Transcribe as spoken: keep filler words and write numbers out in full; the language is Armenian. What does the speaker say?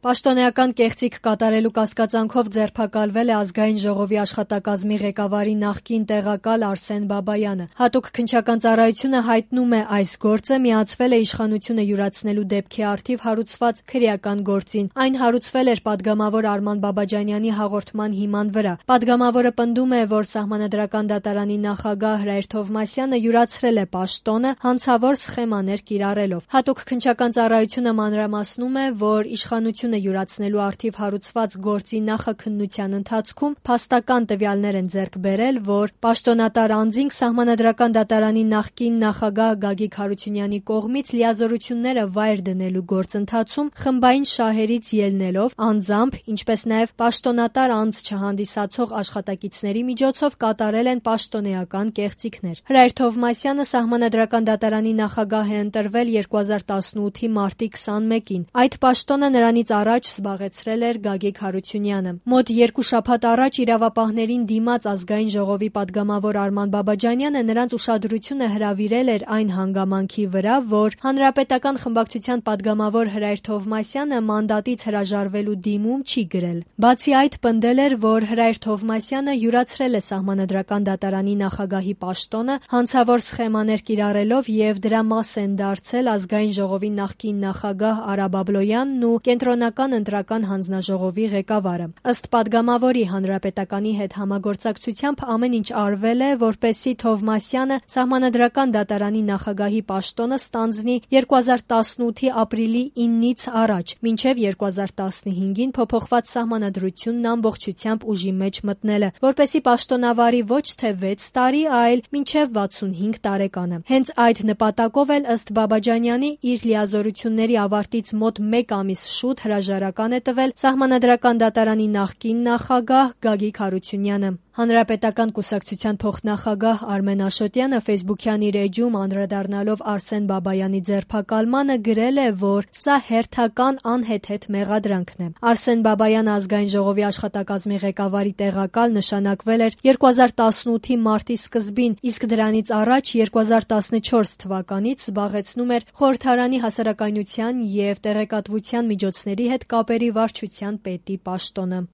Պաշտոնեական կեղծիք կատարելու կասկածանքով ձերբակալվել է Ազգային ժողովի աշխատակազմի ղեկավարի նախկին տեղակալ Արսեն Բաբայանը։ Հատուկ քննչական ծառայությունը հայտնում է, այս գործը միացվել է իշխանությունը յուրացնելու դեպքի առթիվ հարուցված քրեական գործին։ Այն հարուցվել էր պատգամավոր Արման Բաբաջանյանի հաղորդման հիման վրա։ Պատգամավորը պնդում է, որ Սահմանադրական դատարանի նախագահ Հրայր Թովմասյանը յուրացրել է պաշտոնը հանցավոր սխեմաներ կիրառելով։ Հատուկ քննչական ծառայությունը մանրամասնում է, որ իշխանությունը յուրացնելու առթիվ հարուցված գործի նախաքննության ընթացքում փաստական տվյալներ են ձեռք բերել, որ պաշտոնատար անձինք Սահմանադրական դատարանի նախկին նախագահ Գագիկ Հարությունյանի կողմից լիազորությունները վայր դնելու գործընթացում խմբային շահերից ելնելով անձամբ, ինչպես նաև պաշտոնատար անձ չհանդիսացող աշխատակիցների միջոցով կատարել են պաշտոնեական կեղծիքներ։ Հրայր Թովմասյանը Սահմանադրական դատարանի նախագահ է ընտրվել երկու հազար տասնութի մարտի քսանմեկին։ Այդ պաշտոնը նրանից առաջ զբաղեցրել էր Գագիկ Հարությունյանը։ Մոտ երկու շաբաթ առաջ իրավապահներին դիմաց Ազգային ժողովի պատգամավոր Արման Բաբաջանյանը նրանց ուշադրությունը հրավիրել էր այն հանգամանքի վրա, որ Հանրապետական խմբակցության պատգամավոր Հրայր Թովմասյանը մանդատից հրաժարվելու դիմում չի գրել։ Բացի այդ, պնդել էր, որ Հրայր Թովմասյանը յուրացրել է Սահմանադրական դատարանի նախագահի պաշտոնը հանցավոր սխեմաներ կիրառելով եւ դրա մաս են դարձել Ազգային ժողովի նախկին նախագահ Արա Բաբլոյանն ու Կենտրոնական ընտրական հանձնաժողովի ղեկավարը։ Ըստ պատգամավորի, Հանրապետականի հետ համագործակցությամբ ամեն ինչ արվել է, որպեսզի Թովմասյանը Սահմանադրական դատարանի նախագահի պաշտոնը ստանձնի երկու հազար տասնութի ապրիլի իննից առաջ, մինչև երկու հազար տասնհինգին փոփոխված Սահմանադրությունն ամբողջությամբ ուժի մեջ մտնելը, որպեսզի պաշտոնավարի ոչ թե վեց տարի, այլ մինչև վաթսունհինգ տարեկանը։ Հենց այդ նպատակով էլ ըստ Բաբաջանյանի իր լիազորությունների ավարտից մոտ մեկ ամիս շուտ հրաժարական է տվել Սահմանադրական դատարանի նախկին նախագահ Գագիկ Հարությունյանը։ Հանրապետական կուսակցության փոխնախագահ Արմեն Աշոտյանը ֆեյսբուքյան իր էջում անդրադառնալով Արսեն Բաբայանի ձերբակալմանը գրել է, որ սա հերթական անհեթեթ մեղադրանքն է։ Արսեն Բաբայանը Ազգային ժողովի աշխատակազմի ղեկավարի տեղակալ նշանակվել էր երկու հազար տասնութի մարտի սկզբին, իսկ դրանից առաջ երկու հազար տասնչորս թվականից զբաղեցնում էր Խորհրդարանի հասարակայնության եւ տեղեկատվության միջոցների հետ կապերի վարչության պետի պաշտոնը։